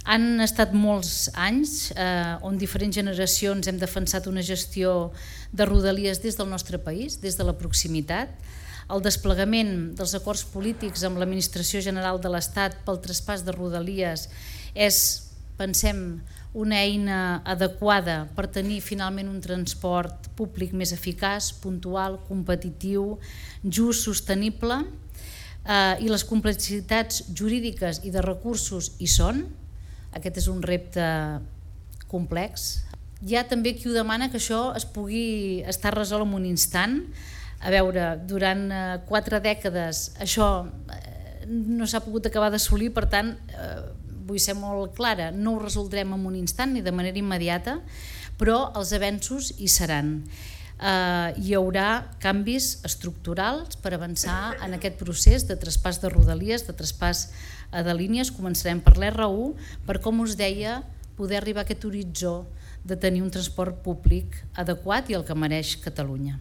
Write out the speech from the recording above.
Han estat molts anys on diferents generacions hem defensat una gestió de Rodalies des del nostre país, des de la proximitat. El desplegament dels acords polítics amb l'Administració General de l'Estat pel traspàs de Rodalies és, pensem, una eina adequada per tenir finalment un transport públic més eficaç, puntual, competitiu, just, sostenible, i les complexitats jurídiques i de recursos hi són. Aquest és un repte complex. Hi ha també qui ho demana que això es pugui estar resolt en un instant. A veure, durant 4 dècades això no s'ha pogut acabar d'assolir, per tant, vull ser molt clara, no ho resoldrem en un instant ni de manera immediata, però els avenços hi seran. Hi haurà canvis estructurals per avançar en aquest procés de traspàs de Rodalies, de traspàs de línies. Començarem per l'R1, per, com us deia, poder arribar a aquest horitzó de tenir un transport públic adequat i el que mereix Catalunya.